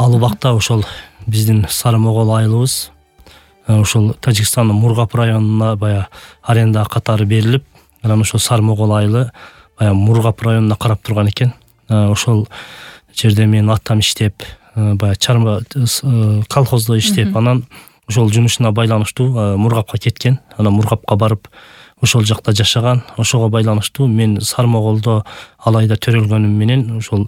Ал убакта ошол биздин Сары Могол айылыбыз ошол Тажикстандын Мургап районуна баягы аренда катары берилип, анан ошол Сары Могол айылы баягы Мургап районуна карап турган экен. Ошол жерде менин атам иштеп, баягы чарба колхоздо иштеп, анан ошол жумушуна байланыштуу Мургапка кеткен. Анан Мургапка барып ошол жакта жашаган. Ошого байланыштуу мен Сары Моголдо алайда төрөлгөнүм менен ошол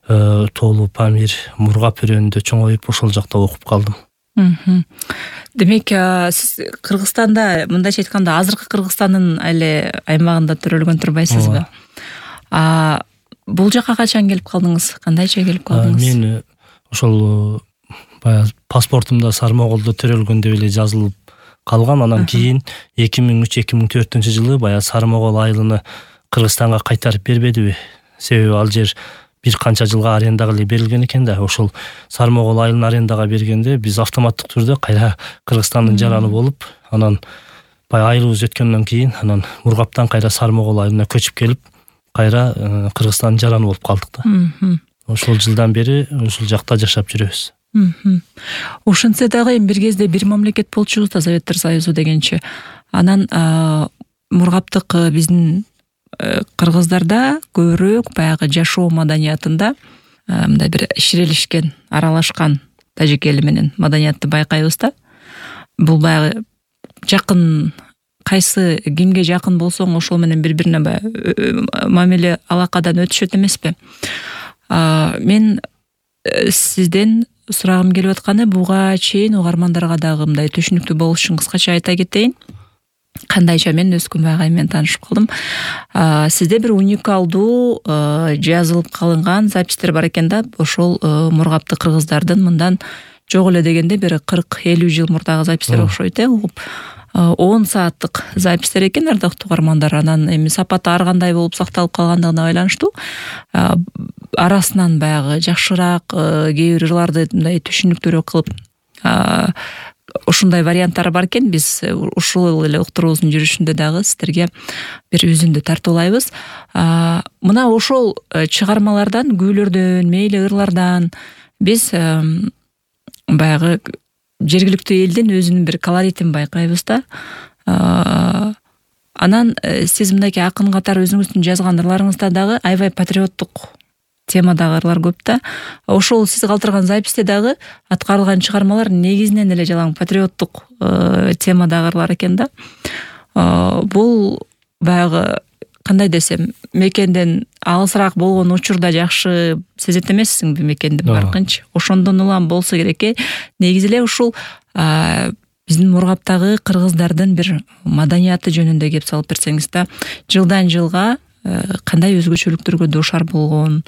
Тоолу, Памир, Мургап өрөөнүндө чоңоюп ошол жакта окуп калдым. Демек, сиз Кыргызстанда, мындайча айтканда, азыркы Кыргызстандын эле аймагында төрөлгөн турбайсызбы? Бул жака качан келип калдыңыз? Кандайча келип калдыңыз? Мен ошол баягы паспортумда Сары Моголдо төрөлгөн деп эле жазылып калган. Анан кийин 2003-2004 жылы баягы Сары Могол айылын Кыргызстанга кайтарып бербедиби? Себеби ал жер бир канча жылга арендага эле берилген экен да. Ошол Сары Могол айылын арендага бергенде биз автоматтык түрдө кайра Кыргызстандын жараны болуп, анан баягы айылыбыз өткөндөн кийин анан Мургаптан кайра Сары Могол айылына көчүп келип, кайра Кыргызстандын жараны болуп калдык да. Ошол жылдан бери ошол жакта жашап жүрөбүз. Ошентсе дагы бир кезде бир мамлекет болчубуз да, Советтер Союзу дегенчи. Анан Мургаптык биздин кыргыздарда көбүрөөк баягы жашоо маданиятында мындай бир ширелишкен, аралашкан тажик эли менен маданиятты байкайбыз да. Бул баягы жакын, кайсы кимге жакын болсоң ошол менен бири-бирине мамиле алакадан өтүшөт эмеспи? Мен сизден сурагым келип атканы, буга чейин угармандарга дагы мындай түшүнүктүү болуш үчүн кыскача айта кетейин. Кандайча мен өз күнбагай менен таанышып калдым. Сизде бир уникалдуу жазылып калынган запистер бар экен да. Ошол Мургапты кыргыздардын мындан жок эле дегенде бир 40-50 жыл мурдагы запистер окшойт, 10 сааттык запистер экен, ардактуу угармандар. Анан эми сапаты ар кандай болуп сакталып калгандыгына байланыштуу арасынан баягы жакшыраак кээ бир ырларды мындай түшүнүктүүрөөк кылып ушундай варианттары бар экен. Биз ушул эле уктуруубуздун жүрүшүндө дагы сиздерге бир үзүндү тартуулайбыз. Мына ошол чыгармалардан, күүлөрдөн, мейли ырлардан биз баягы жергиликтүү элдин өзүнүн бир колоритин байкайбыз да. Анан сиз мындайки акын катары өзүңүздүн жазган ырларыңызда дагы аябай патриоттук темадагы ырлар көп да. Ошол сиз калтырган записте дагы аткарылган чыгармалар негизинен эле жалаң патриоттук темадагы ырлар экен да. Бул баягы кандай десем, мекенден алысыраак болгон учурда жакшы сезет эмессиңби мекенди баркынчы? Ошондон улам болсо керек. Негизи эле ушул биздин Мургаптагы кыргыздардын бир маданияты жөнүндө кеп салып берсеңиз да, жылдан жылга кандай өзгөчөлүктөргө дуушар болгон,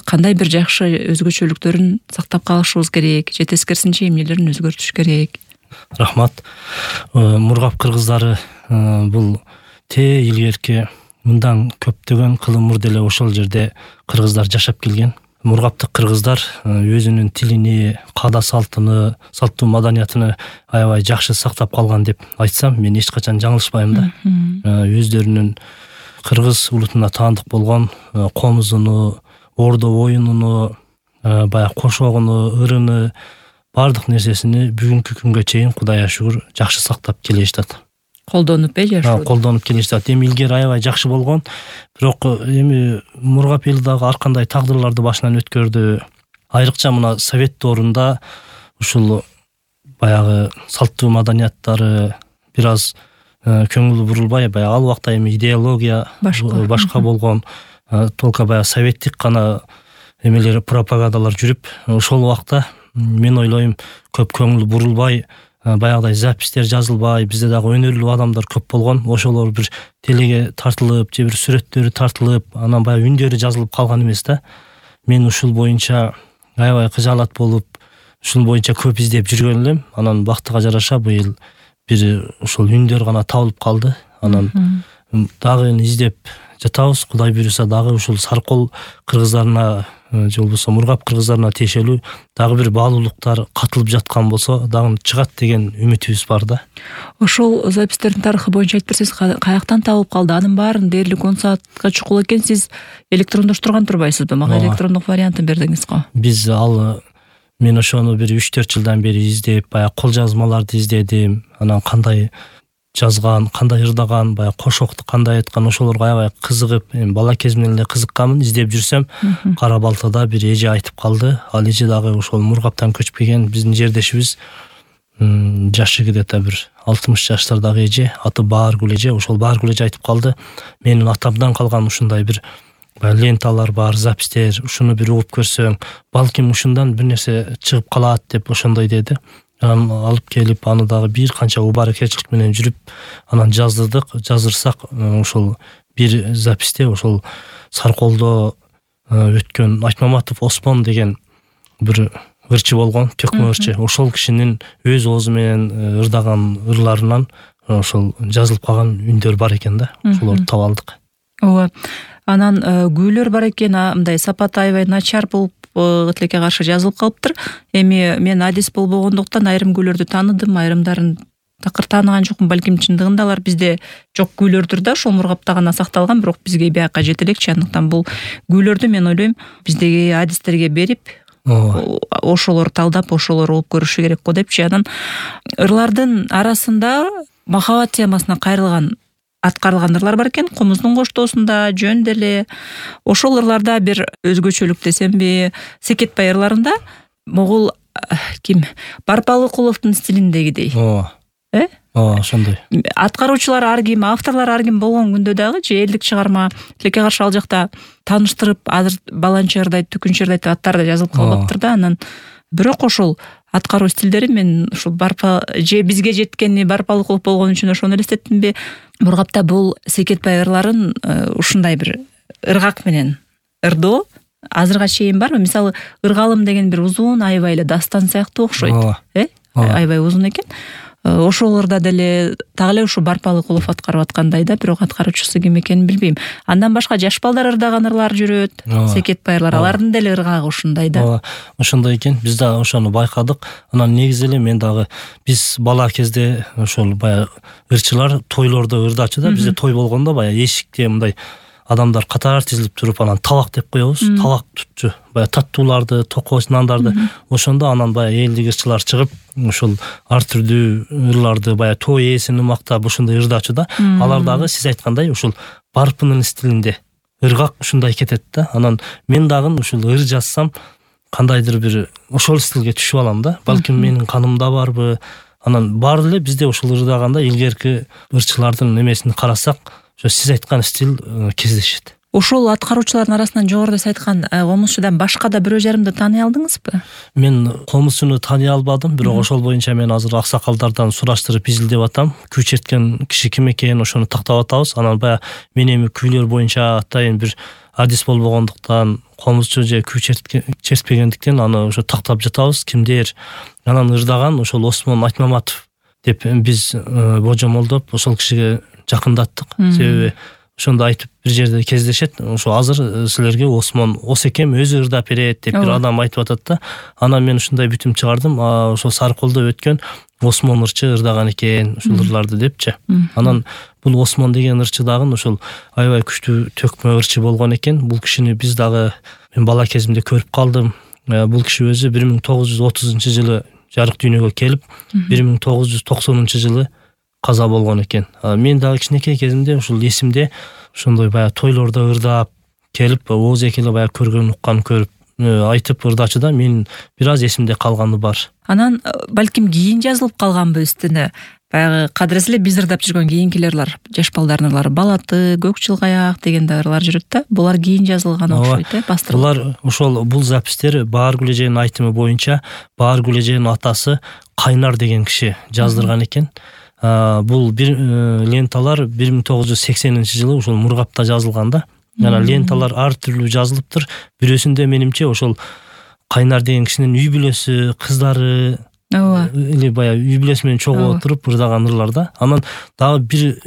кандай бир жакшы өзгөчөлүктөрүн сактап калышыбыз керек, же тескерисинче эмнелерин өзгөртүш керек? Рахмат. Мургап кыргыздары бул илгерки мындан көптөгөн кылымыр деле ошол жерде кыргыздар жашап келген. Мургаптык кыргыздар өзүнүн тилини, каада салтын, салттуу маданиятын аябай жакшы сактап калган деп айтсам, мен эч качан жаңылышпайм да. Өздөрүнүн кыргыз улутуна таандык болгон комузуну, ордо оюнуну, баягы кошогуну, ырыны, бардык нерсесини бүгүнкү күнгө чейин Кудайга шүгүр жакшы сактап келишат. Колдонуп жашоо. Колдонуп келишат. Эми илгери аябай жакшы болгон, бирок эми Мургап эли дагы ар кандай тагдырларды башынан өткөрдү. Айрыкча мына совет доорунда ушул баягы салттуу маданияттары бир аз көңүл бурулбай, баягы ал убакта эми идеология башка болгон, толко баягы советтик гана эмелер, пропагандалар жүрүп, ошол убакта мен ойлойм көп көңүл бурулбай, баягыдай запистер жазылбай, бизде дагы өнөрлүү адамдар көп болгон. Ошолор бир телеге тартылып, же бир сүрөттөрү тартылып, анан баягы үндөрү жазылып калган эмес да. Мен ушул боюнча аябай кыжаалат болуп, ушул боюнча көп издеп жүргөн элем. Анан бактыга жараша быйыл бир ушул үндөр гана табылып калды. Анан дагы издеп жатабыз. Кудай буйруса дагы ушул Саркол кыргыздарына же болбосо Мургап кыргыздарына тиешелүү дагы бир баалуулуктар катылып жаткан болсо дагы чыгат деген үмүтүбүз бар да. Ошол запистердин тарыхы боюнча айтып берсеңиз, каяктан табылып калды? Анын баарын дээрлик 10 саатка чукул экен, сиз электрондоштурган турбайсызбы? Мага электрондук вариантын бердиңиз го. Биз ал Мен ошону бир 3-4 жылдан бери издеп, баягы кол жазмаларды издедим. Анан кандай жазган, кандай ырдаган, баягы кошокту кандай айткан, ошолорго аябай кызыгып, бала кезимден эле кызыкканмын. Издеп жүрсөм, Кара Балтада бир эже айтып калды. Ал эже дагы ошол Мургаптан көчпөгөн биздин жердешибиз. Жашы где-то бир 60 жаштардагы эже, аты Бааргүл эже. Ошол Бааргүл эже айтып калды. Менин атамдан калган ушундай бир ленталар бар, запистер, ушуну бир угуп көрсөң, балким ушундан бир нерсе чыгып калат деп ошондой деди. Анан алып келип, аны дагы бир канча убаракерчилик менен жүрүп, анан жаздырдык. Жаздырсак, ошол бир записте ошол Сарколдо өткөн Айтмаматов Осмон деген бир ырчы болгон, төкмө ырчы. Ошол кишинин өз оозу менен ырдаган ырларынан ошол жазылып калган үндөр бар экен да. Ошолорду таап алдык. Ооба. Анан күүлөр бар экен, мындай сапаты аябай начар болуп тилекке каршы жазылып калыптыр. Эми мен адис болбогондуктан айрым күүлөрдү тааныдым, айрымдарын такыр таанаган жокмун. Балким чындыгында алар бизде жок күүлөрдүр да, ошол Мургапта гана сакталган, бирок бизге бияка жете элекчи. Андыктан бул күүлөрдү мен ойлойм биздеги адистерге берип, ошолор талдап, ошолор угуп көрүшү керек го депчи. Анан ырлардын арасында махабат темасына кайрылган аткарылган ырлар бар экен. Комуздун коштоосунда жөн деле ошол ырларда бир өзгөчөлүк десемби, Секетбай ырларында могул ким Барпалыкуловдун стилиндегидей. Ошондой. Аткаруучулар ар ким, авторлор ар ким болгон күндө дагы же элдик чыгарма тилекке каршы ал жакта тааныштырып, азыр баланчы ырдайт, түкүнчү ырдайт деп аттар да жазылып калбаптыр да. Анан бирок ошол аткаруу стилдери мен ушул же бизге жеткени Барпалыкулов болгон үчүн ошону элестеттимби? Мургапта бул Секетбай ырларын ушундай бир ыргак менен ырдоо азырга чейин барбы? Мисалы, Ыргалым деген бир узун аябай эле дастан сыяктуу окшойт. Аябай узун экен. Ошолорда деле так эле ушу Барпалыкулов аткарып аткандай да, бирок аткаруучусу ким экенин билбейм. Андан башка жаш балдар ырдаган ырлар жүрөт. Секетбайлар, алардын деле ыргагы ушундай да. Ошондой экен. Биз да ошону байкадык. Анан негизи эле мен дагы биз бала кезде ошол баягы ырчылар тойлордо ырдачу да. Бизде той болгондо баягы эшикте мындай адамдар катар тизилип туруп, анан табак деп коебуз. Табак тутчу. Баягы таттууларды, токоч нандарды. Ошондо анан баягы элдик ырчылар чыгып, ошол ар түрдүү ырларды баягы той ээсин мактап ушундай ырдачу да. Алар дагы сиз айткандай ушул барпынын стилинде ыргак ушундай кетет да. Анан мен дагы ушул ыр жазсам кандайдыр бир ошол стилге түшүп алам да. Балким менин канымда барбы? Анан баары эле бизде ушул ырдаганда илгерки ырчылардын немесин карасак, ошо сиз айткан стил кездешет. Ошол аткаруучулардын арасынан жогоруда сиз айткан комузчудан башка да бирөө жарымды тааный алдыңызбы? Мен комузчуну тааный албадым, бирок ошол боюнча мен азыр аксакалдардан сураштырып изилдеп атам. Күү черткен киши ким экенин ошону тактап атабыз. Анан баягы мен эми күүлөр боюнча атайын бир адис болбогондуктан, комузчу же күү чертпегендиктен аны ошо тактап жатабыз. Кимдер анан ырдаган ошол Осмон Айтмаматов деп биз божомолдоп ошол кишиге жакындаттык. Себеби ошондо айтып бир жерде кездешет. Ошо азыр силерге Осмон Осекем өзү ырдап берет деп бир адам айтып атат да. Анан мен ушундай бүтүм чыгардым. Ошо Сарколдо өткөн Осмон ырчы ырдаган экен ушул ырларды депчи. Анан бул Осмон деген ырчы дагы ошол аябай күчтүү төкмө ырчы болгон экен. Бул кишини биз дагы мен бала кезимде көрүп калдым. Бул киши өзү 1930-жылы жарык дүйнөгө келип, 1990-жылы каза болгон экен. Мен дагы кичинекей кезимде ушул эсимде ошондой баягы тойлордо ырдап келип, ооз экеле баягы көргөн уккан көрүп айтып ырдачу да, мен бир аз эсимде калганы бар. Анан балким кийин жазылып калганбы үстүнө? Баягы кадырес эле биз ырдап жүргөн кийинки ырлар, жаш балдардын ырлары, Балаты, Көк жылгаяк деген ырлар жүрөт да. Булар кийин жазылган окшойт, бастырылып. Булар ошол бул запистер Бааргүл эженин айтымы боюнча Бааргүл эженин атасы Кайнар деген киши жаздырган экен. Бул бир ленталар 1980-жылы ошол Мургапта жазылган да. Анан ленталар ар түрлүү жазылыптыр. Бирөөсүндө менимче ошол Кайнар деген кишинин үй бүлөсү, кыздары или баягы үй бүлөсү менен чогуу отуруп ырдаган ырлар да. Анан дагы бир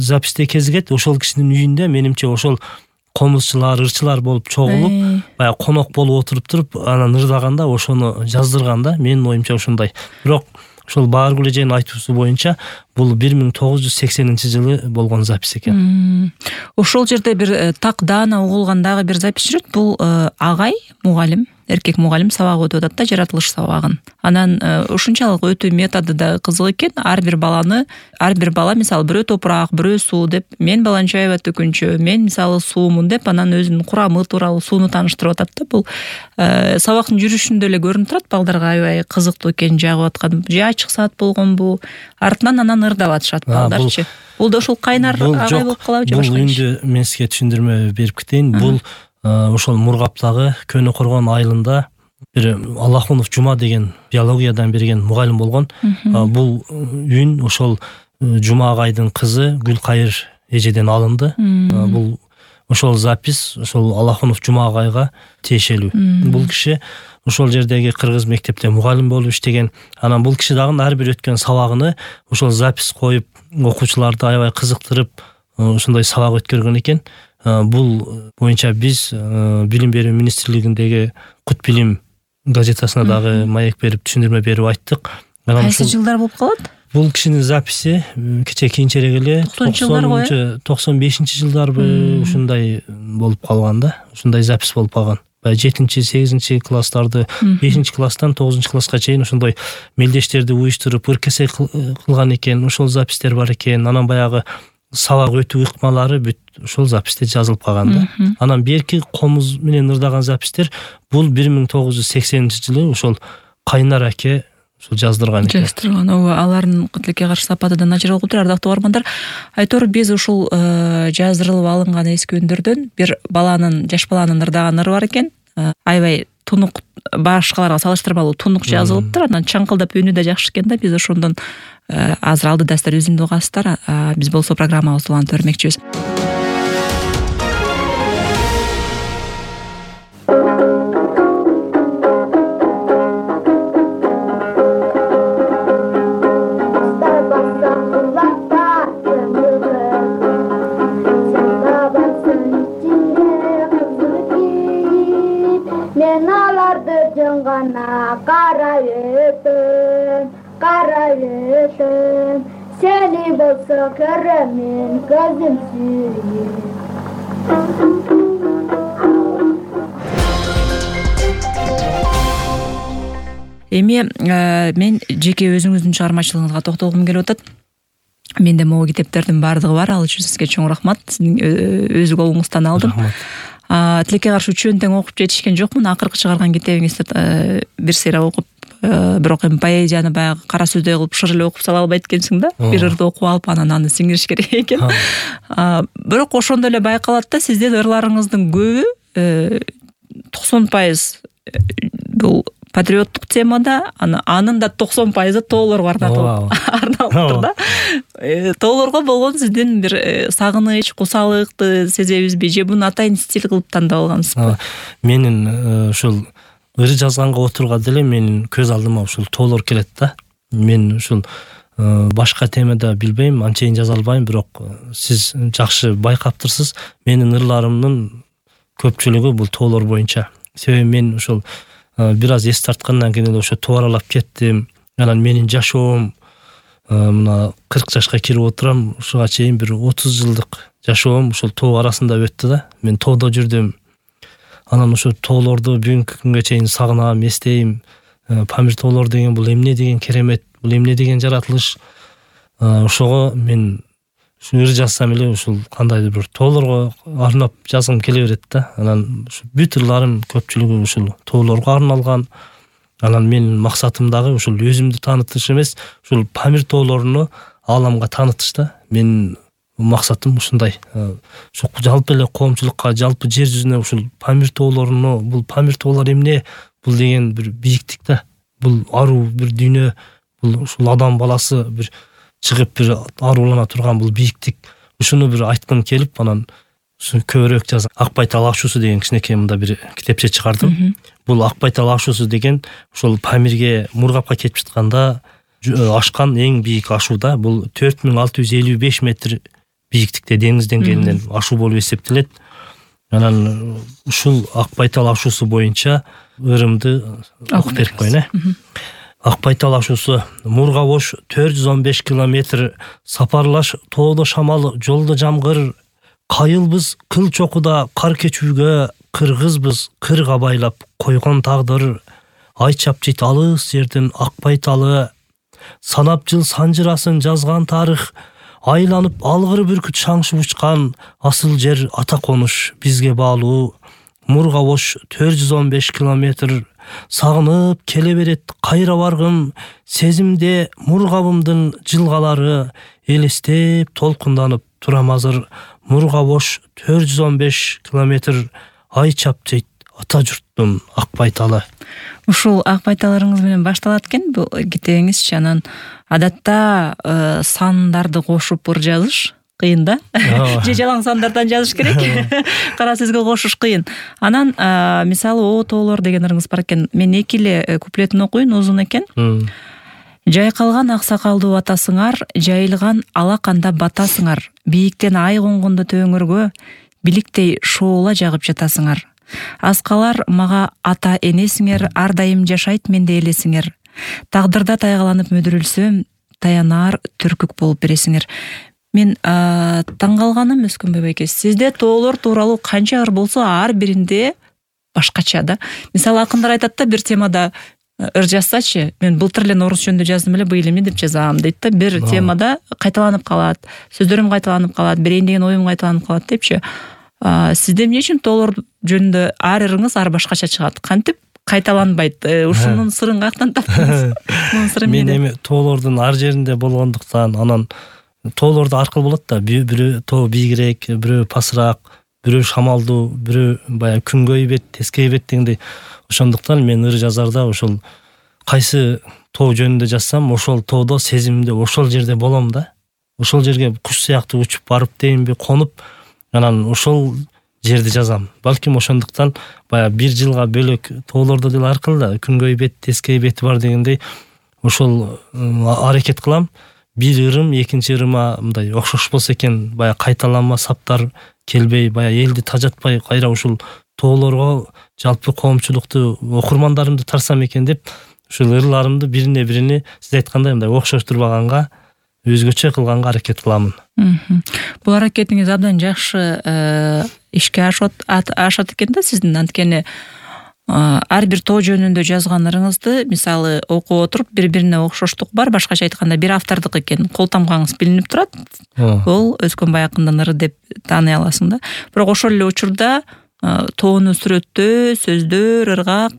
записте кезигет, ошол кишинин үйүндө менимче ошол комузчулар, ырчылар болуп чогулуп, баягы конок болуп отуруп туруп, анан ырдаганда ошону жаздырган да. Менин оюмча ушундай. Бирок ошол Бааргүл эженин айтуусу боюнча бул 1980-жылы болгон запись экен. Ошол жерде бир так даана угулган дагы бир запись жүрөт. Бул агай, мугалим, эркек мугалим сабак өтүп атат да, жаратылыш сабагын. Анан ушунчалык өтүү методу да кызык экен. Ар бир бала мисалы бирөө топурак, бирөө суу деп, мен баланча аябат төкүнчө, мен мисалы суумун деп анан өзүнүн курамы тууралуу сууну тааныштырып атат да. Бул сабактын жүрүшүндө эле көрүнүп турат балдарга аябай кызыктуу экени жагып аткан. Же ачык саат болгонбу? Артынан анан ырдап атышат балдарчы. Бул да ушул кайнар агай болуп калабы же башка? Бул үндү мен сизге түшүндүрмө берип кетейин. Бул ошол Мургаптагы Көнө Коргон айылында бир Аллахунов Жума деген биологиядан берген мугалим болгон. Бул үн ошол Жума агайдын кызы Гүлкайыр эжеден алынды. Бул ошол запись ошол Аллахунов Жума агайга тиешелүү. Бул киши ошол жердеги кыргыз мектепте мугалим болуп иштеген. Анан бул киши дагы ар бир өткөн сабагыны ошол запись коюп, окуучуларды аябай кызыктырып, ушундай сабак өткөргөн экен. Бул боюнча биз Билим берүү министрлигиндеги Кут билим газетасына дагы маек берип, түшүндүрмө берип айттык. Кайсы жылдар болуп калат? Бул кишинин записи кече кийинчерээк эле 95-жылдарбы ушундай болуп калган да. Ушундай запись болуп калган. 7-8 класстарды 5 класстан 9 класска чейин ошондой мелдештерди уюштуруп ыркесе кылган экен. Ошол запистер бар экен. Анан баягы сабак өтүү ыкмалары бүт ошол записте жазылып калган да. Анан берки комуз менен ырдаган запистер бул 1980-жылы ошол Кайнар аке ушул жаздырган экен. Алардын тилекке каршы сапаты да начар болуп тур. Ардактуу угармандар, айтор биз ушул жаздырылып алынган эски үндөрдөн бир жаш баланын ырдаган ыры бар экен. Аябай тунук, башкаларга салыштырмалуу тунук жазылыптыр. Анан чаңкылдап үнү да жакшы экен да. Биз ошондон азыр алды дастар үзүндү угасыздар. Биз болсо программабызды улантып бермекчибиз. Seni bolsa köremin gözüm sürüyor. Эми мен жеке өзүңүздүн чыгармачылыгыңызга токтолгум келип атат. Менде могу китептердин баардыгы бар. Ал үчүн сизге чоң рахмат. Сиздин өз колуңуздан алдым. Тилекке каршы үчөөнү тең окуп жетишкен жокмун. Акыркы чыгарган китебиңизди бир сыйра окуп, бирок эми поэзияны баягы кара сөздөй кылып шыр эле окуп сала албайт экенсиң да. Бир ырды окуп алып анан аны сиңириш керек экен. Бирок ошондо эле байкалат да, сиздин ырларыңыздын көбү 90% бул патриоттук темада, анын да 90% тоолорго арналыптыр да. Тоолорго болгон сиздин бир сагыныч, кусалыкты сезебизби, же буну атайын стиль кылып тандап алгансызбы? Менин ушул ыры жазганга отурганда деле менин көз алдыма ушул тоолор келет да. Мен ушул башка темада билбейм, анчейин жаза албайм, бирок сиз жакшы байкаптырсыз. Менин ырларымдын көпчүлүгү бул тоолор боюнча. Себеби мен ушул бир аз эс тарткандан кийин эле ошо тоо аралап кеттим. Анан менин жашоом мына 40 жашка кирип отурам, ушуга чейин бир 30 жылдык жашоом ушул тоо арасында өттү да. Мен тоодо жүрдүм. Анан ошо тоолорду бүгүнкү күнгө чейин сагынам, эстейм. Памир тоолор деген бул эмне деген керемет, бул эмне деген жаратылыш. Ошого мен ыр жазсам эле ушул кандайдыр бир тоолорго арнап жазгым келе берет да. Анан бүт ырларым көпчүлүгү ушул тоолорго арналган. Анан менин максатым дагы ушул өзүмдү таанытыш эмес, ушул Памир тоолоруну ааламга таанытыш да. Менин максатым ушундай. Ошо жалпы эле коомчулукка, жалпы жер жүзүнө ушул Памир тоолоруну, бул Памир тоолор эмне, бул деген бир бийиктик да. Бул аруу бир дүйнө, бул ушул адам баласы бир чыгып бир арулана турган бул бийиктик. Ушуну бир айткым келип, анан ушу көбүрөөк жазам. Акбайтал ашуусу деген кичинекей мында бир китепче чыгардым. Бул Акбайтал ашуусу деген ошол Памирге, Мургапка кетип жатканда ашкан эң бийик ашуу да. Бул 4655 метр бийиктикте деңиз деңгээлинен ашуу болуп эсептелет. Анан ушул Акбайтал ашуусу боюнча ырымды окуп берип коеюн. Акбайтал ашуусу: Мурга бош 415 километр сапарлаш, тоодо шамал, жолдо жамгыр, Кайылбыз кыл чокуда кар кечүүгө, кыргызбыз кырга байлап койгон тагдыр. Ай чапчыйт алыс жердин акпай талы. Санап жыл санжырасын жазган тарых. Айланып алгыр бүркүт шаңшып учкан. Асыл жер ата конуш бизге баалуу. Мурга бош 415 километр. Сагынып келе берет кайра баргым. Сезимде мургабымдын жылгалары. Элестеп толкунданып турам азыр. Мурга бош 415 километр. Ай чапчыйт ата журттун акпай талы. Ушул акпайталарыңыз менен башталат экен бул кетегиңизчи. Анан адатта сандарды кошуп ыр жазыш кыйын да. Же жалаң сандардан жазыш керек. Кара сөзгө кошуш кыйын. Анан мисалы о тоолор деген ырыңыз бар экен. Мен эки эле куплетин окуйн, узун экен. Жайкалган аксакалдуу атасыңар, жайылган алаканда батасыңар. Бийиктен ай конгондо төңөргө, биликтей шоола жагып жатасыңар. Аскалар мага ата энесиңер, ар дайым жашайт менде элесиңер. Тагдырда тайгаланып мөдүрүлсөм, таянаар түркүк болуп бересиңер. Мен таң калганым Өскөнбай байке, сизде тоолор тууралуу канча ыр болсо ар биринде башкача да. Мисалы акындар айтат да, бир темада ыр жазсачы, мен былтыр эле орус жөнүндө жаздым эле, быйыл эмне деп жазам дейт да. Бир темада кайталанып калат, сөздөрүм кайталанып калат, берейин деген оюм кайталанып калат депчи. Сизде эмне үчүн тоолор жөнүндө ар ырыңыз ар башкача чыгат? Кантип кайталанбайт? Ушунун сырын каяктан таптыңыз? Мунун сыры эмнеде? Мен эми тоолордун ар жеринде болгондуктан, анан тоолордо аркыл болот да. Бирөө тоо бийигирээк, бирөө пасыраак, бирөө шамалдуу, бирөө баягы күнгөй бет, тескей бет дегендей. Ошондуктан мен ыр жазарда ошол кайсы тоо жөнүндө жазсам, ошол тоодо сезимимде ошол жерде болом да. Ошол жерге куш сыяктуу учуп барып дейинби, конуп, анан ошол жерди жазам. Балким ошондуктан баягы бир жылга бөлөк тоолордо деле ар кыл да, күнгөй бет, тескей бети бар дегендей ошол аракет кылам. Бир ырым экинчи ырыма мындай окшош болсо экен, баягы кайталанма саптар келбей, баягы элди тажатпай, кайра ушул тоолорго жалпы коомчулукту, окурмандарымды тарсам экен деп, ушул ырларымды бирине бирини сиз айткандай мындай окшоштурбаганга, өзгөчө кылганга аракет кыламын. Бул аракетиңиз абдан жакшы ишке ашат экен да сиздин. Анткени ар бир тоо жөнүндө жазган ырыңызды мисалы окуп отуруп бири-бирине окшоштук бар, башкача айтканда бир автордук экен, кол тамгаңыз билинип турат. Ол Өскөнбай акындын ыры деп тааный аласың да. Бирок ошол эле учурда тоону сүрөттөө, сөздөр, ыргак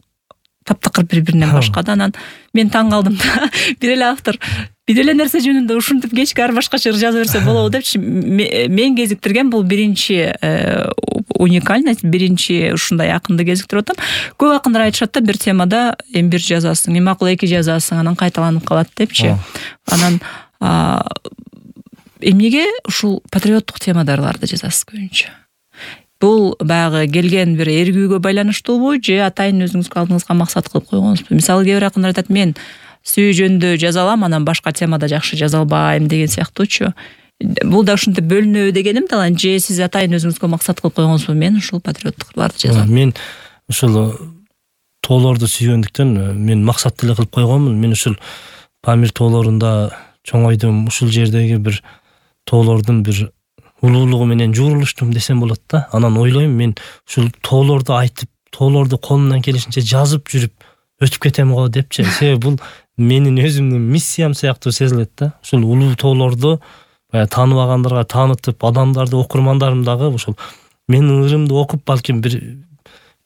таптакыр бири-биринен башка да. Анан мен таң калдым да. Бир эле автор бир эле нерсе жөнүндө ушинтип кечке ар башкача ыр жаза берсе болобу депчи. Мен кезиктирген бул биринчи уникальность, биринчи ушундай акынды кезиктирип атам. Көп акындар айтышат да, бир темада эми бир жазасың, эми макул эки жазасың, анан кайталанып калат депчи. Анан эмнеге ушул патриоттук темадарларды жазасыз көбүнчө? Бул баягы келген бир эргүүгө байланыштуубу же атайын өзүңүзгө алдыңызга максат кылып койгонсузбу? Мисалы кээ бир акындар айтат, мен сүйүү жөнүндө жаза алам, анан башка темада жакшы жаза албайм деген сыяктуучу. Бул да ушинтип бөлүнөбү дегеним да, же сиз атайын өзүңүзгө максат кылып койгонсузбу? Мен ушул патриоттукларды жазам. Мен ушул тоолорду сүйгөндүктөн мен максат деле кылып койгонмун. Мен ушул Памир тоолорунда чоңойдум. Ушул жердеги бир тоолордун бир улуулугу менен жуурулуштум десем болот да. Анан ойлойм, мен ушул тоолорду айтып, тоолорду колумдан келишинче жазып жүрүп өтүп кетем го депчи. Себеби бул менин өзүмдүн миссиям сыяктуу сезилет да. Ушул улуу тоолорду баягы тааныбагандарга таанытып, адамдарды, окурмандарым дагы ушул менин ырымды окуп, балким бир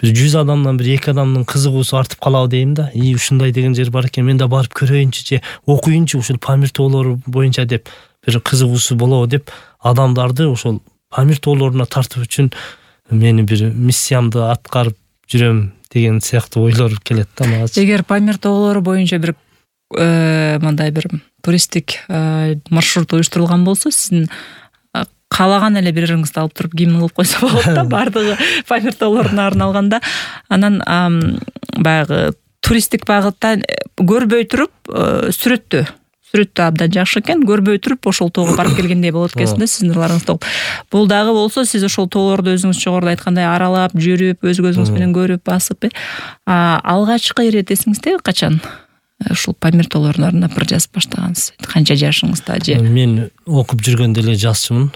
100 адамдан бир 2 адамдын кызыгуусу артып калабы дейм да. Ушундай деген жер бар экен, мен да барып көрөйүнчү же окуйунчу ушул Памир тоолору боюнча деп бир кызыгуусу болобу деп, адамдарды ошол Памир тоолоруна тартып үчүн мени бир миссиямды аткарып жүрөм деген сыяктуу ойлор келет да мага. Эгер Памир тоолору боюнча бир мындай бир туристтик маршрут уюштурулган болсо, сиздин каалаган эле бир ырыңызды алып туруп гимн кылып койсо болот да, бардыгы Памир тоолоруна арналганда. Анан баягы туристтик багытта көрбөй туруп сүрөттөө абдан жакшы экен. Көрбөй туруп ошол тоого барып келгендей болот экенсиң да сиздин ырларыңызды окуп. Бул дагы болсо сиз ошол тоолорду өзүңүз жогоруда айткандай аралап, жүрүп, өз көзүңүз менен көрүп, басып, алгачкы ирет эсиңиздеби качан ушул Памир тоолорунун ырына ыр жазып баштагансыз? Канча жашыңызда же? Мен окуп жүргөндө эле жазчумун.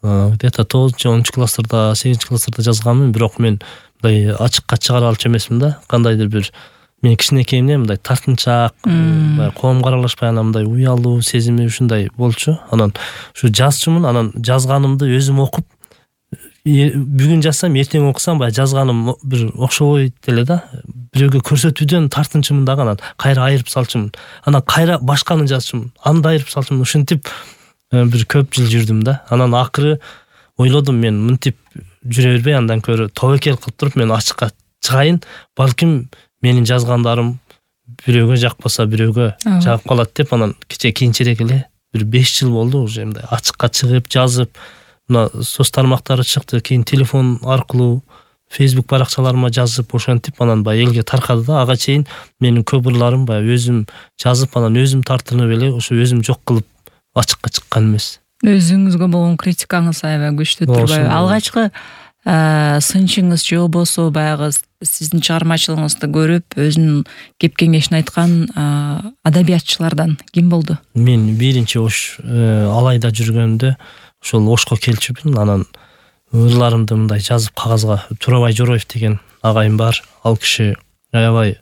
где-то 9-10 класстарда, 8 класстарда жазганмын, бирок мен мындай ачыкка чыгара алчу эмесмин да. Кандайдыр бир мен кичинекейимден мындай тартынчаак, коомго аралашпай анан мындай уялуу сезими ушундай болчу. Анан ушу жазчумун, анан жазганымды өзүм окуп, бүгүн жазсам, эртең окусам, баягы жазганым бир окшобойт эле да. Бирөөгө көрсөтүүдөн тартынчумун дагы, анан кайра айырып салчумун. Анан кайра башканы жазчумун, аны айырып салчумун. Ушинтип бир көп жыл жүрдүм да. Анан акыры ойлодум, мен мынтип жүрө бербей, андан көрө тобокел кылып туруп мен ачыкка чыгайын. Балким менин жазгандарым бирөөгө жакпаса, бирөөгө жагып калат деп, анан кийинчерээк эле бир 5 жыл болду уже мындай ачыкка чыгып, жазып, мына соц тармактары чыкты, кийин телефон аркылуу Facebook баракчаларыма жазып, ошентип анан баягы элге таркады да. Ага чейин менин көп ырларым баягы өзүм жазып, анан өзүм тартынып эле ошо өзүм жок кылып ачыкка чыккан эмес. Өзүңүзгө болгон критикаңыз аябай күчтүү турбайбы? Алгачкы сынчыңыз же болбосо баягы сиздин чыгармачылыгыңызды көрүп, өзүнүн кеп кеңешин айткан адабиятчылардан ким болду? Мен биринчи Ош Алайда жүргөндө ошол Ошко келчүмүн. Анан ырларымды мындай жазып кагазга, Турабай Жороев деген агайым бар. Ал киши аябай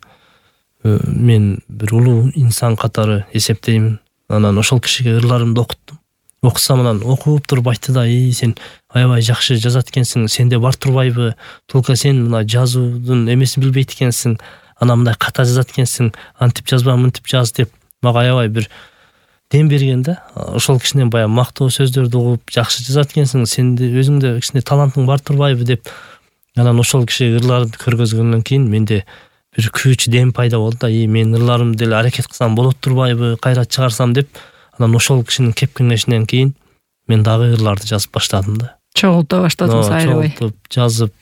мен бир улуу инсан катары эсептейм. Анан ошол кишиге ырларымды окуттум. Окусам, анан окуп туруп айтты да: сен аябай жакшы жазат экенсиң, сенде бар турбайбы? Только сен мына жазуудун эмесин билбейт экенсиң, анан мындай ката жазат экенсиң, антип жазба, мынтип жаз деп мага аябай бир дем берген да. Ошол кишинен баягы мактоо сөздөрдү угуп, жакшы жазат экенсиң, сенде өзүңдө кичине талантың бар турбайбы деп. Анан ошол киши ырларды көргөзгөндөн кийин менде бир күч, дем пайда болду да. Мен ырларымды деле аракет кылсам болот турбайбы, кайра чыгарсам деп. Анан ошол кишинин кеп кеңешинен кийин мен дагы ырларды жазып баштадым да. Чогулта баштадыңыз аябай. Чогултуп, жазып,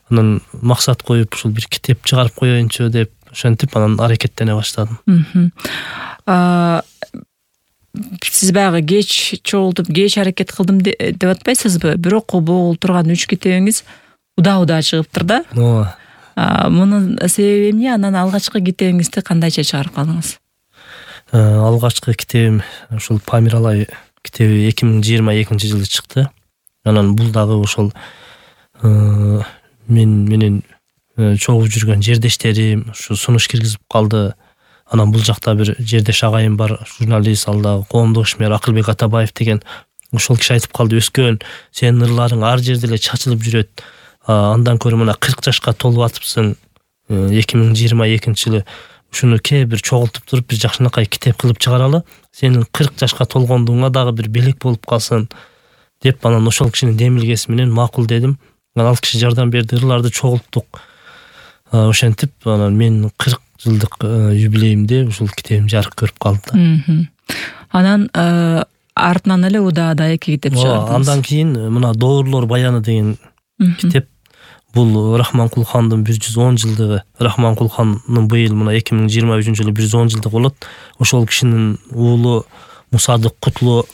анан максат коюп, ушул бир китеп чыгарып коеюнчу деп, ошентип анан аракеттене баштадым. Сиз баягы кеч чогултуп, кеч аракет кылдым деп атпайсызбы? Бирок бул турган 3 китебиңиз удаа чыгыптыр да. Мунун себеби эмне? Анан алгачкы китебиңизди кандайча чыгарып калдыңыз? Алгачкы китебим ушул Памиралай китеби 2022-жылы чыкты. Анан бул дагы ошол мен менен чогуу жүргөн жердештерим ушу сунуш киргизип калды. Анан бул жакта бир жердеш агайым бар, журналист, ал дагы коомдук ишмер Акылбек Атабаев деген. Ошол киши айтып калды: "Өскөн, сенин ырларың ар жерде эле чачылып жүрөт. Андан көрө мына 40 жашка толуп атыпсың. 2022-жылы ушуну бир чогултуп туруп бир жакшынакай китеп кылып чыгаралы. Сенин 40 жашка толгондуңа дагы бир белек болуп калсын" деп. Анан ошол кишинин демилгеси менен макул дедим. Анан ал киши жардам берди, ырларды чогулттук. Ошентип анан мен 40 жылдык юбилейимде ушул китебим жарык көрүп калды. Анан артынан эле удаада 2 китеп чыгардыңыз. Андан кийин мына Доорлор баяны деген китеп. Бул Рахманкул хандын 110 жылдыгы. Рахманкул хандын быйыл мына 2023-жылы 110 жылдыгы болот. Ошол кишинин уулу Мусадык Кутлу,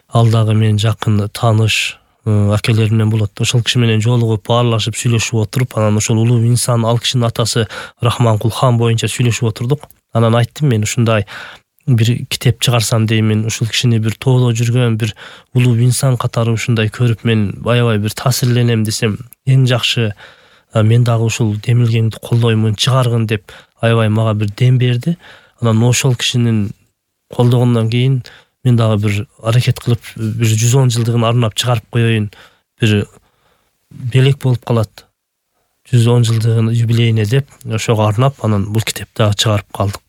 ал дагы менин жакын тааныш акелеримден болот. Ошол киши менен жолугуп, баарлашып, сүйлөшүп отуруп, анан ошол улуу инсан, ал кишинин атасы Рахманкул хан боюнча сүйлөшүп отурдук. Анан айттым, мен ушундай бир китеп чыгарсам деймин. Ушул кишини бир тоодо жүргөн бир улуу инсан катары ушундай көрүп мен аябай бир таасирленем десем, эң жакшы мен дагы ушул демилгеңди колдоймун, чыгаргын деп аябай мага бир дем берди. Анан ошол кишинин колдогондон кийин мен дагы бир аракет кылып, бир 110 жылдыгын арнап чыгарып коеюн. Бир белек болуп калат 110 жылдыгын юбилейине деп, ошого арнап анан бул китепти дагы чыгарып калдык.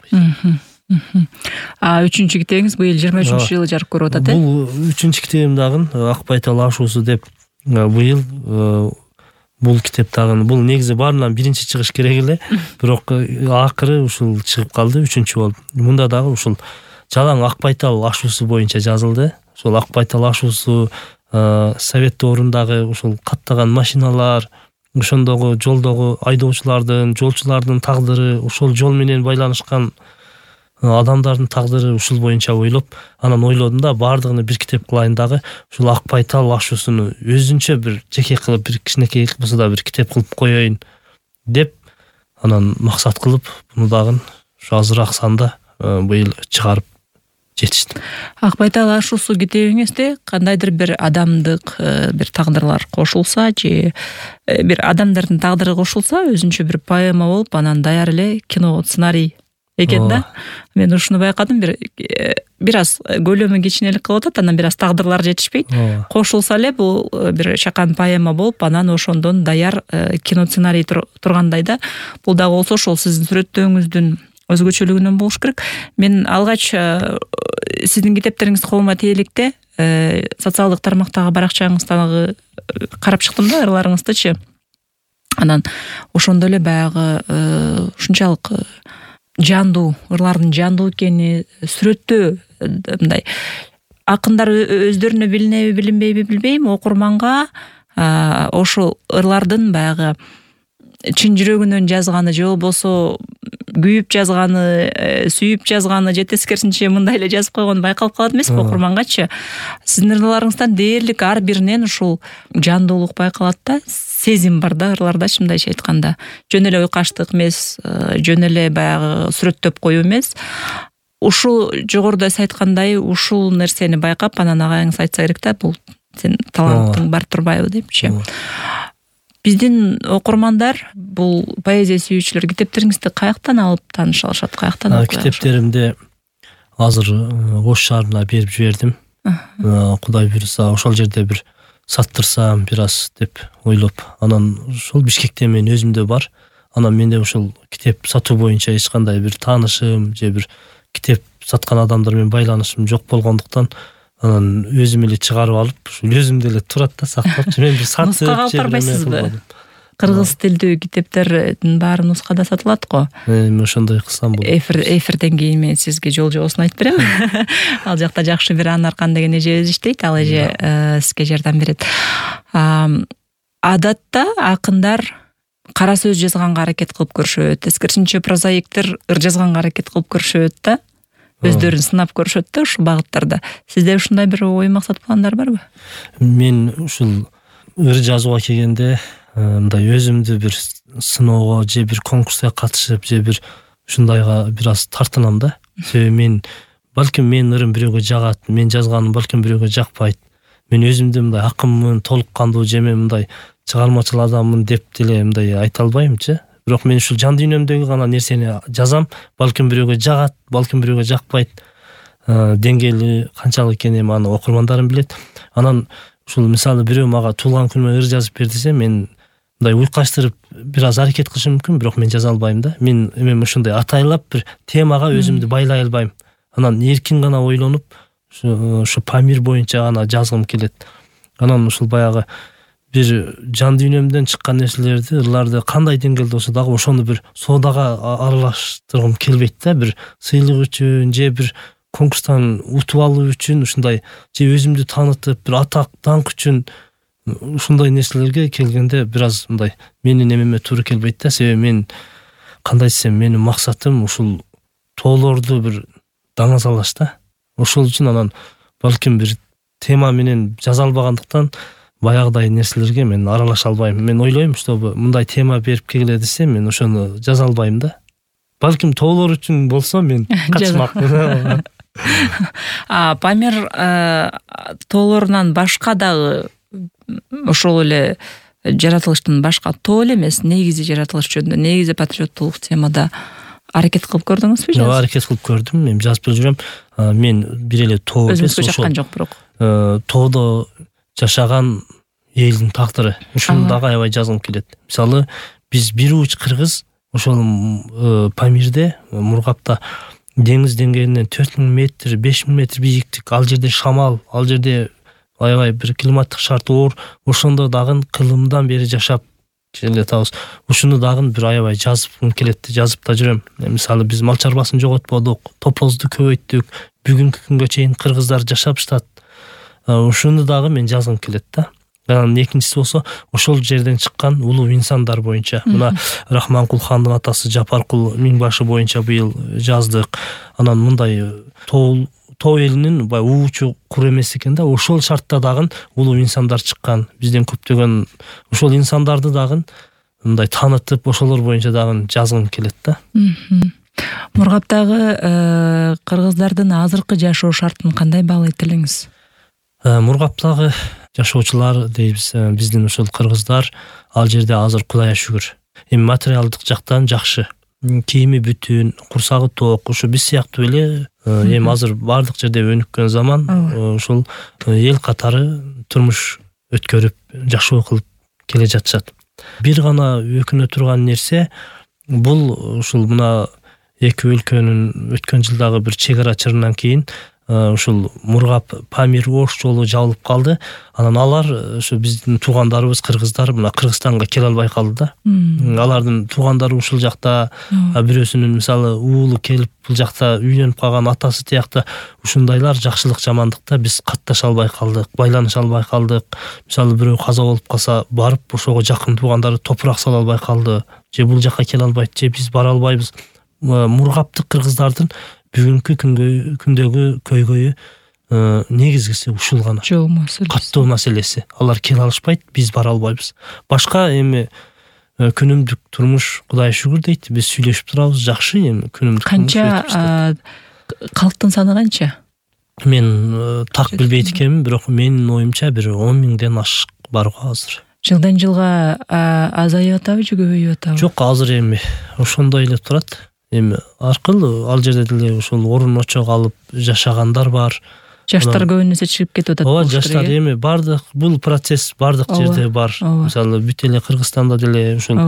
3-чү китебиңиз быйыл 23-жылы жарык көрүп атат, э? Бул 3-чү китебим дагы Акбайтал ашуусу деп быйыл бул китеп дагы бул негизи баарынан биринчи чыгыш керек эле, бирок акыры ушул чыгып калды, 3-чү болуп. Мында дагы ушул жалаң Акбайтал ашуусу боюнча жазылды. Ошол Акбайтал ашуусу совет доорундагы ушул каттаган машиналар, ошондогу жолдогу айдоочулардын, жолчулардын тагдыры, ошол жол менен байланышкан адамдардын тагдыры ушул боюнча ойлоп, анан ойлодум да баардыгын бир китеп кылайын дагы ушул Акбайтал ашуусуну өзүнчө бир жеке кылып, бир кичинекей болсо да бир китеп кылып коеюн деп анан максат кылып, буну дагы ушу азыраак санда быйыл чыгарып жетиштим. Акбайта Ашуусу китебиңизде кандайдыр бир адамдык бир тагдырлар кошулса же бир адамдардын тагдыры кошулса өзүнчө бир поэма болуп анан даяр эле кино сценарий экен да. Мен ушуну байкадым, бир аз көлөмү кичинелик кылып атат, анан бир аз тагдырлар жетишпейт. Кошулса эле бул бир чакан поэма болуп, анан ошондон даяр кино сценарий тургандай да. Бул дагы болсо ошол сиздин сүрөттөөңүздүн өзгөчөлүгүнөн болуш керек. Мен алгач сиздин китептериңизди колума тиеликте социалдык тармактагы баракчаңыздагы карап чыктым да, ырларыңыздычы. Анан ошондо эле баягы ушунчалык жандуу, ырлардын жандуу экени, сүрөттөө мындай акындар өздөрүнө билинеби билинбейби билбейм, окурманга ошол ырлардын баягы чын жүрөгүнөн жазганы же болбосо күйүп жазганы, сүйүп жазганы же тескерисинче мындай эле жазып койгону байкалып калат эмеспи окурмангачы. Сиздин ырларыңыздан дээрлик ар биринен ушул жандуулук байкалат да, сезим бар да ырлардачы, мындайча айтканда. Жөн эле уйкаштык эмес, жөн эле баягы сүрөттөп коюу эмес. Ушул жогоруда сиз айткандай ушул нерсени байкап, анан агайыңыз айтса керек да, бул сен талантың бар турбайбы депчи. Биздин окурмандар, бул поэзия сүйүүчүлөр китептериңизди каяктан алып тааныша алышат, каяктан окуй алышат? Китептеримди азыр Ош шаарына берип жибердим. Кудай буйруса ошол жерде бир саттырсам бир аз деп ойлоп, анан ошол Бишкекте мен өзүмдө бар. Анан менде ошол китеп сатуу боюнча эч кандай бир таанышым же бир китеп саткан адамдар менен байланышым жок болгондуктан анан өзүм эле чыгарып алып, ушул өзүмдө эле турат да, сактап. Мен бир сатып нускага алып барбайсызбы? Кыргыз тилдүү китептердин баары нускада сатылат го. Мен ошондой кылсам болот. Эфирден кийин мен сизге жол жобосун айтып берем. Ал жакта жакшы бир Анаркан деген эжебиз иштейт, ал эже сизге жардам берет. Адатта акындар кара сөз жазганга аракет кылып көрүшөт, тескерисинче прозаиктер ыр жазганга аракет кылып көрүшөт да. Өздөрүн сынап көрүшөт да ушул багыттарда. Сизде ушундай бир ой максат пландар барбы? Мен ушул ыр жазууга келгенде мындай өзүмдү бир сыноого же бир конкурска катышып же бир ушундайга бир аз тартынам да. Себеби балким мен ырым бирөөгө жагат, мен жазганым балким бирөөгө жакпайт. Мен өзүмдү мындай акынмын, толук кандуу же мен мындай чыгармачыл адаммын деп деле мындай айта албаймчы. Бирок мен ушул жан дүйнөмдөгү гана нерсени жазам, балким бирөөгө жагат, балким бирөөгө жакпайт. Деңгээли канчалык экенин аны окурмандарым билет. Анан ушул мисалы бирөө мага туулган күнүмө ыр жазып бер десе, мен мындай уйкаштырып бир аз аракет кылышым мүмкүн, бирок мен жаза албайм да. Мен эмем ушундай атайлап бир темага өзүмдү байлай албайм. Анан эркин гана ойлонуп, ушу Памир боюнча гана жазгым келет. Анан ушул баягы бир жан дүйнөмдөн чыккан нерселерди, ырларды кандай деңгээлде болсо дагы ошону бир соодага аралаштыргым келбейт да. Бир сыйлык үчүн же бир конкурстан утуп алуу үчүн ушундай же өзүмдү таанытып бир атак даңк үчүн ушундай нерселерге келгенде бир аз мындай менин эмеме туура келбейт да. Себеби мен кандай десем, менин максатым ушул тоолорду бир даңазалаш да. Ошол үчүн анан балким бир тема менен жаза албагандыктан баягыдай нерселерге мен аралаша албайм. Мен ойлойм, чтобы мындай тема берип келе десе, мен ошону жаза албайм да. Балким тоолор үчүн болсо мен катышмакмын. Памир тоолорунан башка дагы ошол эле жаратылыштын башка тоо эле эмес, негизи жаратылыш жөнүндө, негизи патриоттулук темада аракет кылып көрдүңүзбү? Жок, аракет кылып көрдүм. Мен жазып жүрөм. Мен бир эле тоо эмес, ошол жаккан жок, бирок тоодо жашаган элдин тагдыры. Ушуну дагы аябай жазгым келет. Мисалы, биз бир уч кыргыз ошол Памирде, Мургапта деңиз деңгээлинен 4000 метр, 5000 метр бийиктик. Ал жерде шамал, ал жерде аябай бир климаттык шарт оор. Ошондо дагы кылымдан бери жашап келатабыз. Ушуну дагы бир аябай жазып келет, жазып да жүрөм. Мисалы, биз мал чарбасын жоготподук, топозду көбөйттүк. Бүгүнкү күнгө чейин кыргыздар жашап жатат. Ушуну дагы мен жазгым келет да. Анан экинчиси болсо, ошол жерден чыккан улуу инсандар боюнча. Мына Рахманкул хандын атасы Жапаркул Миңбашы боюнча быйыл жаздык. Анан мындай тоо элинин бай уучу кур эмес экен да. Ошол шартта дагы улуу инсандар чыккан. Бизден көптөгөн ошол инсандарды дагы мындай таанытып, ошолор боюнча дагы жазгым келет да. Мургаптагы кыргыздардын азыркы жашоо шартын кандай баалайт элеңиз? Мургаптагы жашоочулар дейбиз, биздин ушул кыргыздар ал жерде азыр Кудайга шүгүр. Эми материалдык жактан жакшы. Кийими бүтүн, курсагы ток, ушу биз сыяктуу эле эми азыр бардык жерде өнүккөн заман, ушул эл катары турмуш өткөрүп, жашоо кылып келе жатышат. Бир гана өкүнө турган нерсе бул ушул мына эки өлкөнүн өткөн жылдагы бир чек ара чырынан кийин ушул Мургап Памир Ош жолу жабылып калды. Анан алар ушу биздин туугандарыбыз кыргыздар мына Кыргызстанга келе албай калды да. Алардын туугандары ушул жакта, бирөөсүнүн мисалы уулу келип бул жакта үйлөнүп калган, атасы тиякта ушундайлар жакшылык жамандыкта биз катташа албай калдык, байланыша албай калдык. Мисалы бирөө каза болуп калса, барып ошого жакын туугандары топурак сала албай калды. Же бул жакка келе албайт, же биз бара албайбыз. Мургаптык кыргыздардын бүгүнкү күндөгү көйгөйү негизгиси ушул гана. Жол маселеси. Каттоо маселеси. Алар келе алышпайт, биз бара албайбыз. Башка эми күнүмдүк турмуш Кудайга шүгүр дейт. Биз сүйлөшүп турабыз, жакшы эми күнүмдүк турмуш. Канча калктын саны канча? Мен так билбейт экенмин, бирок менин оюмча бир 10.000ден ашык бар го азыр. Жылдан жылга азайып атабы же көбөйүп атабы? Жок, азыр эми ошондой эле турат. Эми аркылуу ал жерде деле ушул орун очок алып жашагандар бар. Жаштар көбүнө чыгып кетип атат. Ооба, жаштар эми бардык бул процесс бардык жерде бар. Мисалы бүт эле Кыргызстанда деле ушул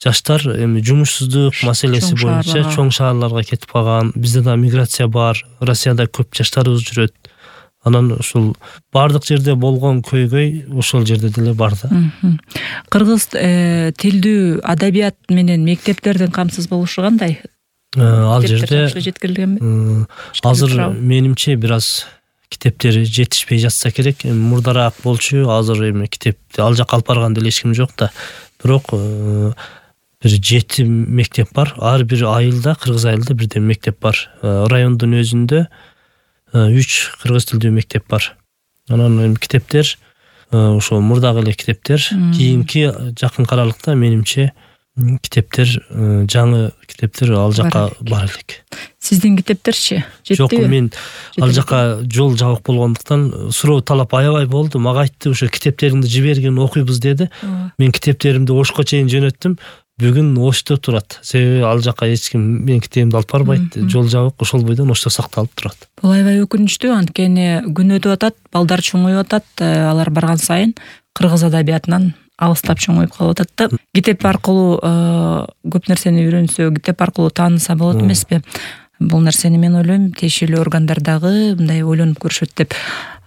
жаштар эми жумушсуздук маселеси боюнча чоң шаарларга кетип калган. Бизде да миграция бар. Россияда көп жаштарыбыз жүрөт. Анан ушул бардык жерде болгон көйгөй ошол жерде деле бар да. Кыргыз тилдүү адабият менен мектептердин камсыз болушу кандай? Ал жерде жеткирилгенби? Азыр менимче бир аз китептери жетишпей жатса керек. Мурдараак болчу, азыр эми китепти ал жакка алып барган деле эч ким жок да. Бирок бир 7 мектеп бар. Ар бир айылда, кыргыз айылда бирден мектеп бар. Райондун өзүндө 3 кыргыз тилдүү мектеп бар. Анан эми китептер ошо мурдагы эле китептер, кийинки жакын аралыкта менимче китептер, жаңы китептер ал жака бар элек. Сиздин китептерчи жетпейби? Жок, мен ал жака жол жабык болгондуктан суроо талап аябай болду. Мага айтты, ошо китептериңди жибергин, окуйбуз деди. Мен китептеримди Ошко чейин жөнөттүм. Бүгүн Ошто турат. Себеби ал жака эч ким менин китебимди алып барбайт. Жол жабык, ошол бойдон Ошто сакталып турат. Бул аябай өкүнүчтүү, анткени күн өтүп атат, балдар чоңоюп атат, алар барган сайын кыргыз адабиятынан алыстап чоңоюп калып атат да. Китеп аркылуу көп нерсени үйрөнсө, китеп аркылуу тааныса болот эмеспи? Бул нерсени мен ойлойм, тиешелүү органдар дагы мындай ойлонуп көрүшөт деп.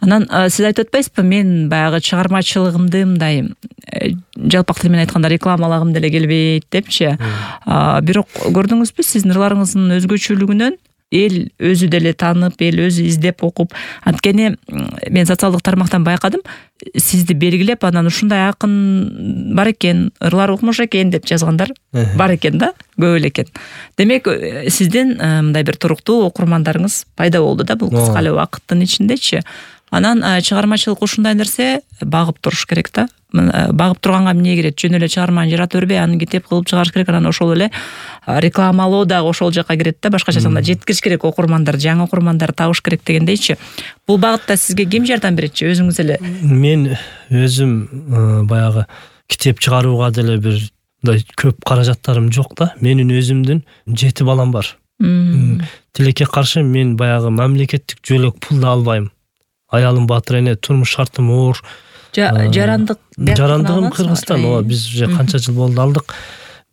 Анан сиз айтып атпайсызбы, мен баягы чыгармачылыгымды мындай жалпак тил менен айтканда рекламалагым деле келбейт депчи. Бирок көрдүңүзбү, сиздин ырларыңыздын өзгөчөлүгүнөн эл өзү деле таанып, эл өзү издеп окуп, анткени мен социалдык тармактан байкадым, сизди белгилеп, анан ушундай акын бар экен, ырлар укмуш экен деп жазгандар бар экен да, көп эле экен. Демек, сиздин мындай бир туруктуу окурмандарыңыз пайда болду да, бул кыска эле убакыттын ичиндечи. Анан чыгармачылык ушундай нерсе, багып туруш керек да. Багып турганга эмне керет? Жөн эле чыгарманы жарата бербей, аны китеп кылып чыгарыш керек. Анан ошол эле рекламалоо дагы ошол жака кирет да. Башкача айтканда жеткириш керек, окурмандар, жаңы окурмандар табыш керек дегендейчи. Бул багытта сизге ким жардам беретчи? Өзүңүз эле? Мен өзүм баягы китеп чыгарууга деле бир көп каражаттарым жок да. Менин өзүмдүн 7 балам бар. Тилекке каршы мен баягы мамлекеттик жөлөк пул да албайм. Аялым батыр эне, турмуш шартым оор. Жарандыгым Кыргызстан, ооба, биз уже канча жыл болду алдык.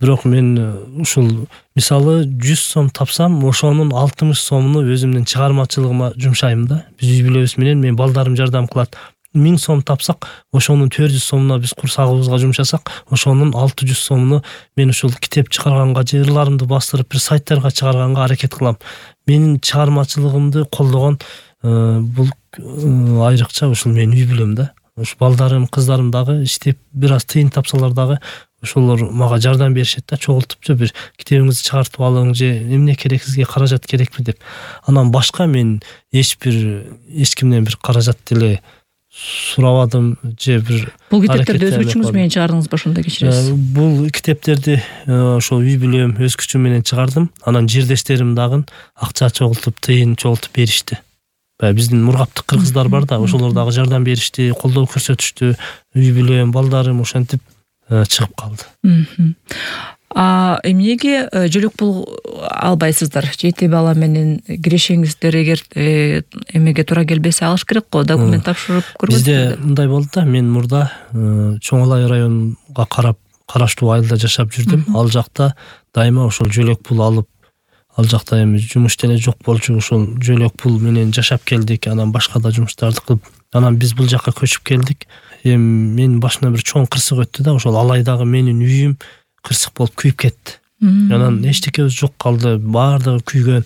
Бирок мен ушул мисалы 100 сом тапсам, ошонун 60 сомуну өзүмдүн чыгармачылыгыма жумшайм да. Биз үй бүлөбүз менен, мен балдарым жардам кылат. 1000 сом тапсак, ошонун 400 сомуна биз курсагыбызга жумшасак, ошонун 600 сомуну мен ушул китеп чыгарганга, ырларымды бастырып бир сайттарга чыгарганга аракет кылам. Менин чыгармачылыгымды колдогон бул айрыкча ушул менин үй бүлөм да. Ушу балдарым, кыздарым дагы иштеп бир аз тыйын тапсалар дагы ошолор мага жардам беришет да, чогултупчу бир китебиңизди чыгартып алың же эмне керек, сизге каражат керекпи деп. Анан башка мен эч кимден бир каражат деле сурабадым же бир. Бул китептерди өз күчүңүз менен чыгардыңызбы, ошондо кечиресиз? Бул китептерди ошол үй бүлөм өз күчүм менен чыгардым. Анан жирдештерим дагы акча чогултуп, тыйын чогултуп беришти. Биздин мургаптык кыргыздар бар да, ошолор дагы жардам беришти, колдоо көрсөтүштү. Үй бүлөм, балдарым ошентип чыгып калды. Эмнеге жөлөк пул албайсыздар? 7 бала менен кирешеңиздер, эгер эмеге туура келбесе алыш керек го, документ тапшырып көргөнсүзбү? Бизде мындай болду да, мен мурда Чоң Алай районуга караштуу айылда жашап жүрдүм. Ал жакта дайыма ошол жөлөк пул алып, ал жакта эми жумуш деле жок болчу, ошол жөлөк пул менен жашап келдик. Анан башка да жумуштарды кылып, анан биз бул жакка көчүп келдик. Эми менин башымдан бир чоң кырсык өттү да, ошол Алайдагы менин үйүм кырсык болуп күйүп кетти. Анан эчтекебиз жок калды, баардыгы күйгөн.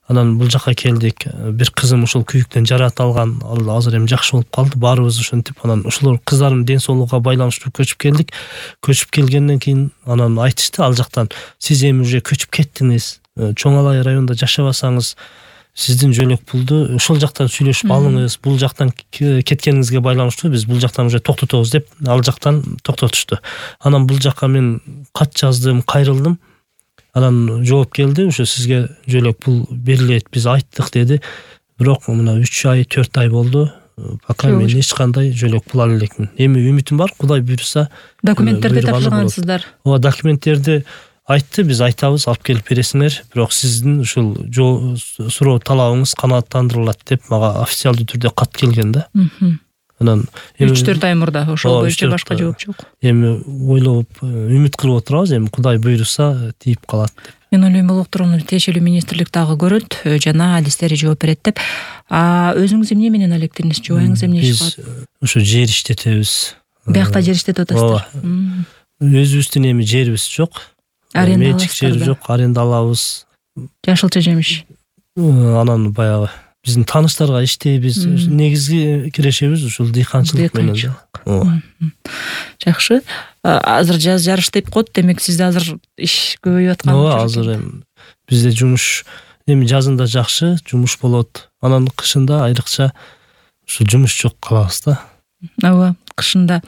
Анан бул жакка келдик. Бир кызым ошол күйүктөн жараат алган. Ал азыр эми жакшы болуп калды. Баарыбыз ошентип, анан ошолор кыздарымдын ден соолугуга байланыштуу көчүп келдик. Көчүп келгенден кийин анан айтышты ал жактан, сиз эми уже көчүп кеттиңиз. Чоң Алай районунда жашабасаңыз, сиздин жөлөк пулду ошол жактан сүйлөшүп алыңыз. Бул жактан кеткениңизге байланыштуу биз бул жактан уже токтотобуз деп, ал жактан токтотушту. Анан бул жакка мен кат жаздым, кайрылдым. Анан жооп келди, ошо сизге жөлөк пул берилет, биз айттык деди. Бирок мына 3 ай, 4 ай болду. Пока мен эч кандай жөлөк пул ала элекмин. Эми үмүтүм бар, Кудай буйруса. Документтерди тапшыргансыздар? Ооба, документтерди айтты, биз айтабыз, алып келип бересиңер. Бирок сиздин ушул суроо талабыңыз канааттандырылат деп мага официалдуу түрдө кат келген да. Анан 3-4 ай мурда ошол боюнча башка жооп жок. Эми ойлоп, үмүт кылып отурабыз, эми Кудай буйруса тийип калат деп. Мен ойлойм, бул уктурууну тиешелүү министрлик дагы көрөт, жана адистери жооп берет деп. Өзүңүз эмне менен алектиңиз? Жубайыңыз эмне иш кылат? Биз ошо жер иштетебиз. Биякта жер иштетип атасыздар? Өзүбүздүн эми жерибиз жок. Менчик жер жок, аренда алабыз. Жашылча жемиш. Анан баягы биздин тааныштарга иштейбиз. Негизги кирешебиз ушул дыйканчылык менен. Жакшы. Азыр жаз жарыштайып коет, демек сизде азыр иш көбөйүп аткан. Ооба, азыр эми бизде жумуш эми жазында жакшы жумуш болот. Анан кышында айрыкча ушул жумуш жок калабыз да. Ооба, кышында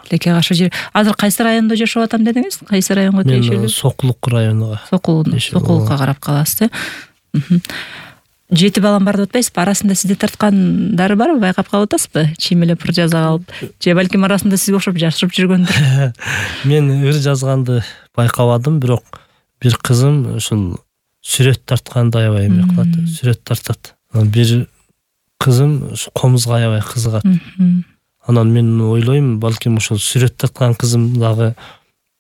леке каршы жер. Азыр кайсы райондо жашап атам дедиңиз? Кайсы районго тиешелүү? Мен Сокулук районуга. Сокулукка карап каласыз. 7 балам бар деп атпайсызбы? Арасында сизди тарткандары барбы? Байкап калып атасызбы? Чиймелеп ыр жаза калып, же балким арасында сизге окшоп жашырып жүргөндүр? Мен ыр жазганды байкабадым, бирок бир кызым ушул сүрөт тартканды аябай эме кылат, сүрөт тартат. Бир кызым комузга аябай кызыгат. Анан мен ойлойм, балким ушул сүрөт тарткан кызым дагы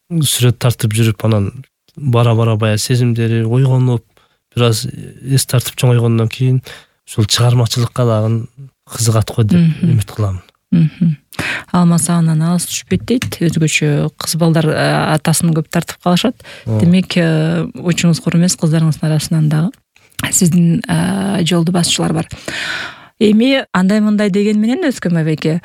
сүрөт тартып жүрүп, анан бара-бара баягы сезимдери ойгонуп, бир аз эс тартып чоңойгондон кийин ушул чыгармачылыкка дагы кызыгат го деп үмүт кыламын. Алмаса анан алыс түшпөйт дейт. Өзгөчө кыз балдар атасын көп тартып калышат. Демек, учуңуз кур эмес, кыздарыңыздын арасынан дагы сиздин жолду басчылар бар. Эми андай-мындай деген менен Өскөн байбеке,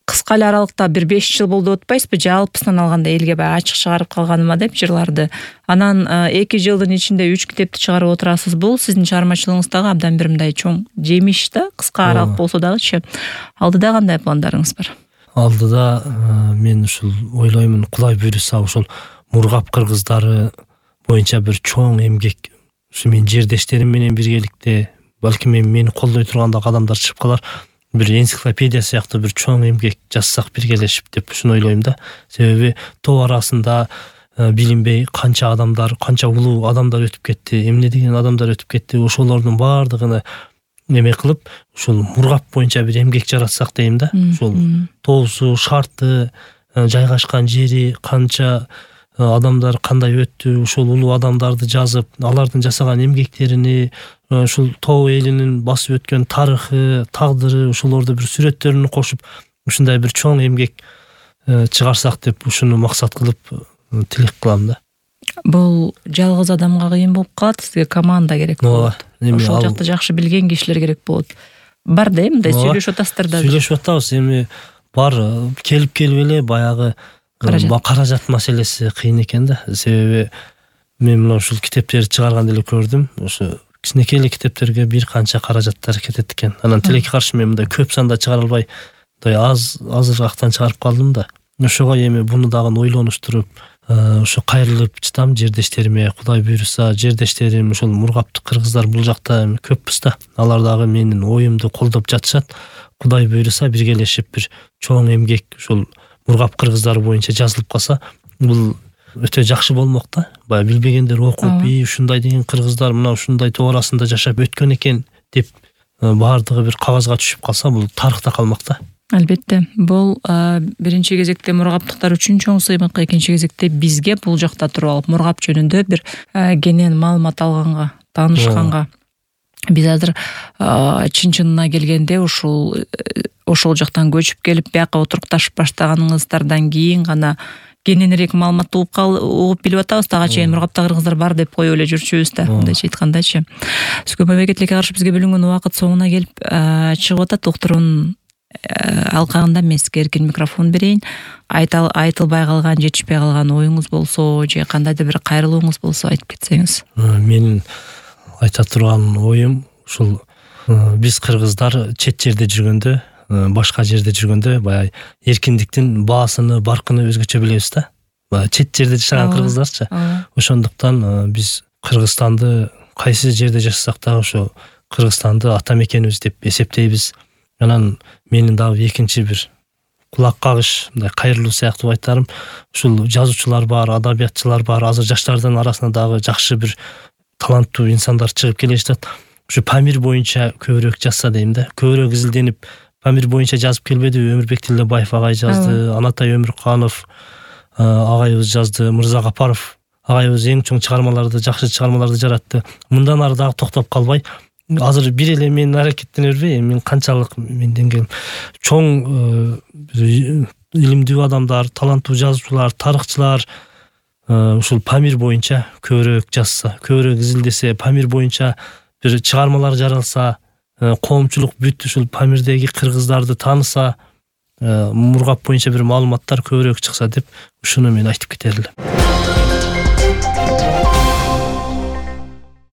кыска эле аралыкта бир 5 жыл болду деп атпайсызбы? Жалпысынан алганда элге баягы ачык чыгарып калганыма деп жырларды. Анан 2 жылдын ичинде 3 китепти чыгарып отурасыз. Бул сиздин чыгармачылыгыңыздагы абдан бир мындай чоң жемиш да, кыска аралык болсо дагычы. Алдыда кандай пландарыңыз бар? Алдыда мен ушул ойлоймун, Кудай буйруса ушул мургап кыргыздары боюнча бир чоң эмгек, ушу менин жердештерим менен биргеликте, балким мени колдой турган да адамдар чыгып калар. Бир энциклопедия сыяктуу бир чоң эмгек жазсак биргелешип деп ушуну ойлойм да. Себеби топ арасында билинбей канча адамдар, канча улуу адамдар өтүп кетти, эмне деген адамдар өтүп кетти. Ошолордун баардыгын эме кылып, ушул мургап боюнча бир эмгек жаратсак дейм да. Ушул тоосу, шарты, жайгашкан жери, канча адамдар кандай өттү, ушул улуу адамдарды жазып, алардын жасаган эмгектерини, ушул тоо элинин басып өткөн тарыхы, тагдыры, ошолорду бир сүрөттөрүн кошуп, ушундай бир чоң эмгек чыгарсак деп ушуну максат кылып тилек кылам да. Бул жалгыз адамга кыйын болуп калат, сизге команда керек болот. Ошол жакты жакшы билген кишилер керек болот. Бар да, мындай сүйлөшүп атасыздар да. Сүйлөшүп атабыз, эми бар келип эле баягы каражат маселеси кыйын экен да. Себеби мен мына ушул китептерди чыгарганда эле көрдүм, ошо кичинекей эле китептерге бир канча каражаттар кетет экен. Анан тилекке каршы мен мындай көп санда чыгара албай, мындай азыр актан чыгарып калдым да. Ошого эми буну дагы ойлонуштуруп, ошо кайрылып чытам жердештериме. Кудай буйруса, жердештерим ошол мургаптык кыргыздар бул жакта көппүз да. Алар дагы менин оюмду колдоп жатышат. Кудай буйруса биргелешип бир чоң эмгек ошол мургап кыргыздары боюнча жазылып калса, бул өтө жакшы болмок да. Баягы билбегендер окуп, ушундай деген кыргыздар мына ушундай тоо арасында жашап өткөн экен деп баардыгы бир кагазга түшүп калса, бул тарыхта калмак да. Албетте, бул биринчи кезекте мургаптыктар үчүн чоң сыймык, экинчи кезекте бизге бул жакта туруп алып мургап жөнүндө бир кенен маалымат алганга, таанышканга. Биз азыр чын-чынына келгенде ошол жактан көчүп келип бияка отурукташып баштаганыңыздардан кийин гана кененирээк маалыматты угуп билип атабыз. Тага чейин мургапта кыргыздар бар деп коюп эле жүрчүбүз да, мындайча айткандачы. Сүгөй мамлекеттикке каршы бизге бөлүнгөн убакыт соңуна келип чыгып атат. Доктурдун алкагында мен сизге эркин микрофон берейин. Айтылбай калган, жетишпей калган оюңуз болсо, же кандайдыр бир кайрылууңуз болсо айтып кетсеңиз. Менин айта турган оюм ушул биз кыргыздар чет жерде жүргөндө, башка жерде жүргөндө баягы эркиндиктин баасыны, баркыны өзгөчө билебиз да. Баягы чет жерде жашаган кыргыздарчы. Ошондуктан биз Кыргызстанды кайсы жерде жашасак дагы ошо Кыргызстанды ата мекенибиз деп эсептейбиз. Анан менин дагы экинчи бир кулак кагыш, мындай кайрылуу сыяктуу айтарым, ушул жазуучулар бар, адабиятчылар бар, азыр жаштардын арасында дагы жакшы бир таланттуу инсандар чыгып келе жатат. Ушу Памир боюнча көбүрөөк жазса дейм да. Көбүрөөк изилденип Памир боюнча жазып келбедиби? Өмүрбек Тилдебаев агай жазды, Анатай Өмүрканов агайыбыз жазды, Мырза Капаров агайыбыз эң чоң чыгармаларды, жакшы чыгармаларды жаратты. Мындан ары дагы токтоп калбай, азыр бир эле мен аракеттене бербей, мен канчалык менден келем чоң илимдүү адамдар, таланттуу жазуучулар, тарыхчылар ушул Памир боюнча көбүрөөк жазса, көбүрөөк изилдесе, Памир боюнча бир чыгармалар жаралса, коомчулук бүт ушул Памирдеги кыргыздарды тааныса, мургап боюнча бир маалыматтар көбүрөөк чыкса деп ушуну мен айтып кетер элем.